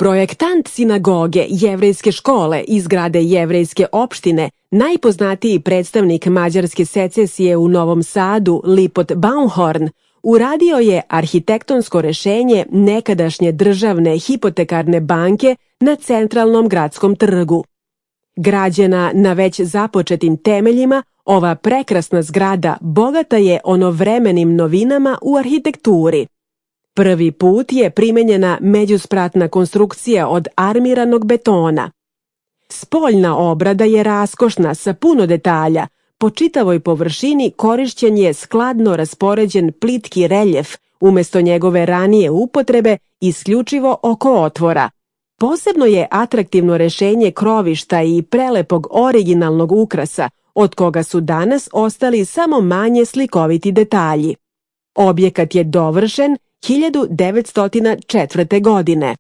Projektant sinagoge Jevrejske škole i zgrade Jevrejske opštine, najpoznatiji predstavnik mađarske secesije u Novom Sadu, Lipot Baumhorn, uradio je arhitektonsko rešenje nekadašnje državne hipotekarne banke na centralnom gradskom trgu. Građena na već započetim temeljima, ova prekrasna zgrada bogata je onovremenim novinama u arhitekturi. Prvi put je primenjena međuspratna konstrukcija od armiranog betona. Spoljna obrada je raskošna sa puno detalja. Po čitavoj površini korišćen je skladno raspoređen plitki reljef, umesto njegove ranije upotrebe isključivo oko otvora. Posebno je atraktivno rešenje krovišta i prelepog originalnog ukrasa, od koga su danas ostali samo manje slikoviti detalji. Objekat je dovršen 1904. godine.